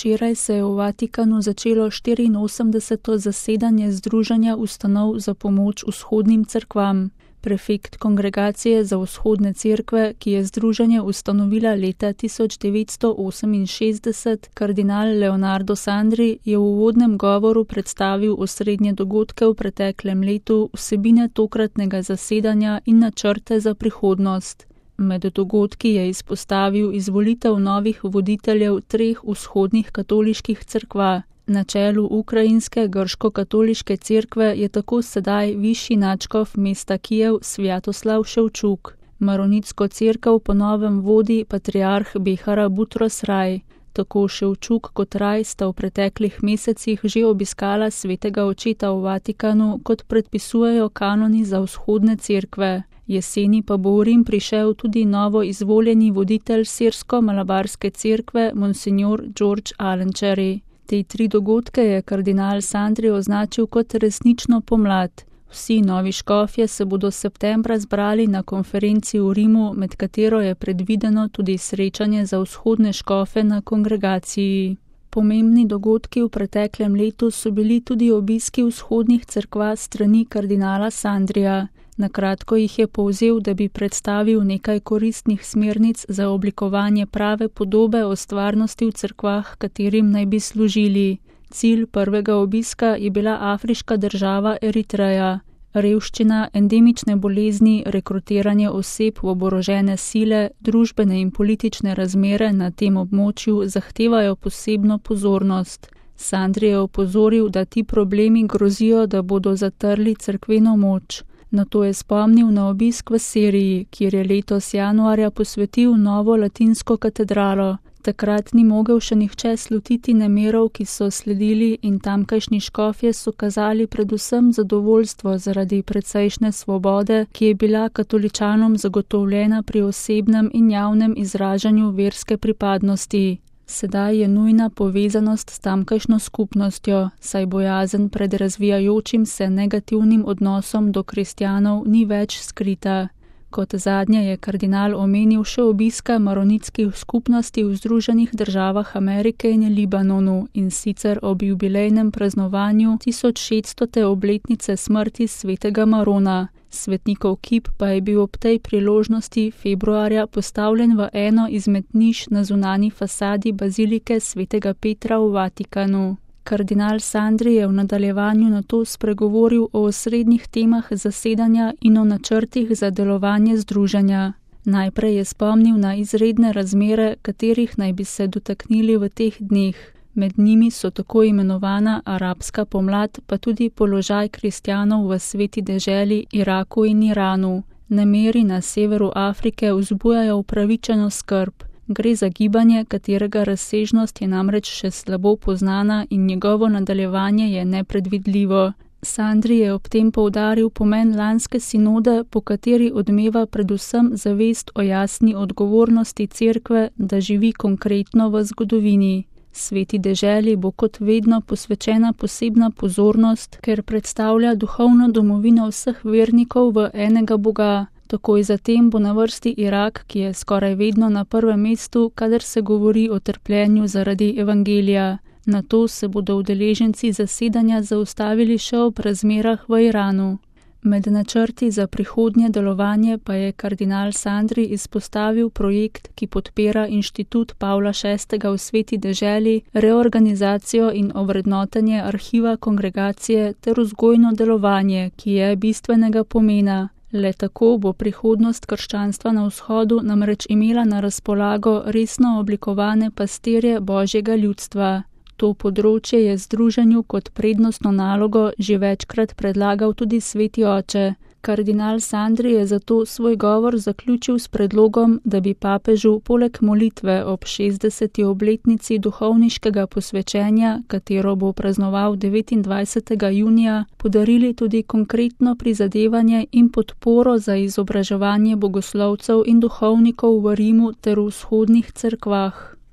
Včeraj se je v Vatikanu začelo 84. zasedanje Združenja ustanov za pomoč vzhodnim cerkvam. Prefekt Kongregacije za vzhodne cerkve, ki je združenje ustanovila leta 1968, kardinal Leonardo Sandri, je v uvodnem govoru predstavil osrednje dogodke v preteklem letu, vsebine tokratnega zasedanja in načrte za prihodnost. Med dogodki je izpostavil izvolitev novih voditeljev 3 vzhodnih katoliških cerkva. Na čelu ukrajinske grško-katoliške cerkve je tako sedaj višji nadškof mesta Kijev Svjatoslav Ševčuk. Maronitsko cerkev po novem vodi patriarh Behara Butros Raj. Tako Ševčuk kot Raj sta v preteklih mesecih že obiskala svetega očeta v Vatikanu, kot predpisujejo kanoni za vzhodne cerkve. Jeseni pa bo v Rim prišel tudi novo izvoljeni voditelj sirsko-malabarske cerkve, monsignor George Alenčeri. Te 3 dogodke je kardinal Sandri označil kot resnično pomlad. Vsi novi škofje se bodo septembra zbrali na konferenci v Rimu, med katero je predvideno tudi srečanje za vzhodne škofe na kongregaciji. Pomembni dogodki v preteklem letu so bili tudi obiski vzhodnih cerkva strani kardinala Sandrija. Na kratko jih je povzel, da bi predstavil nekaj koristnih smernic za oblikovanje prave podobe o stvarnosti v cerkvah, katerim naj bi služili. Cilj prvega obiska je bila afriška država Eritreja. Revščina, endemične bolezni, rekrutiranje oseb v oborožene sile, družbene in politične razmere na tem območju zahtevajo posebno pozornost. Sandri je opozoril, da ti problemi grozijo, da bodo zatrli cerkveno moč. Nato je spomnil na obisk v Siriji, kjer je letos januarja posvetil novo latinsko katedralo. Takrat ni mogel še nihče slutiti nemirov, ki so sledili, in tamkajšnji škofje so kazali predvsem zadovoljstvo zaradi precejšnje svobode, ki je bila katoličanom zagotovljena pri osebnem in javnem izražanju verske pripadnosti. Sedaj je nujna povezanost s tamkajšnjo skupnostjo, saj bojazen pred razvijajočim se negativnim odnosom do kristjanov ni več skrita. Kot zadnje je kardinal omenil še obiska maronitskih skupnosti v Združenih državah Amerike in Libanonu, in sicer ob jubilejnem praznovanju 1600. obletnice smrti svetega Marona. Svetnikov kip pa je bil ob tej priložnosti februarja postavljen v eno izmed niš na zunanji fasadi bazilike svetega Petra v Vatikanu. Kardinal Sandri je v nadaljevanju nato spregovoril o osrednjih temah zasedanja in o načrtih za delovanje združenja. Najprej je spomnil na izredne razmere, katerih naj bi se dotaknili v teh dneh. Med njimi so tako imenovana arabska pomlad, pa tudi položaj kristjanov v sveti deželi Iraku in Iranu. Nemiri na severu Afrike vzbujajo upravičeno skrb. Gre za gibanje, katerega razsežnost je namreč še slabo poznana in njegovo nadaljevanje je nepredvidljivo. Sandri je ob tem poudaril pomen lanske sinode, po kateri odmeva predvsem zavest o jasni odgovornosti cerkve, da živi konkretno v zgodovini. Sveti deželi bo kot vedno posvečena posebna pozornost, ker predstavlja duhovno domovino vseh vernikov v enega Boga. Takoj zatem bo na vrsti Irak, ki je skoraj vedno na prvem mestu, kadar se govori o trpljenju zaradi evangelija. Nato se bodo udeleženci zasedanja zaustavili še ob razmerah v Iranu. Med načrti za prihodnje delovanje pa je kardinal Sandri izpostavil projekt, ki podpira Inštitut Pavla VI. V sveti deželi, reorganizacijo in ovrednotenje arhiva kongregacije ter vzgojno delovanje, ki je bistvenega pomena. Le tako bo prihodnost krščanstva na vzhodu namreč imela na razpolago resno oblikovane pastirje Božjega ljudstva. To področje je združenju kot prednostno nalogo že večkrat predlagal tudi sveti oče. Kardinal Sandri je zato svoj govor zaključil s predlogom, da bi papežu poleg molitve ob 60. obletnici duhovniškega posvečenja, katero bo praznoval 29. junija, podarili tudi konkretno prizadevanje in podporo za izobraževanje bogoslovcev in duhovnikov v Rimu ter v vzhodnih cerkvah.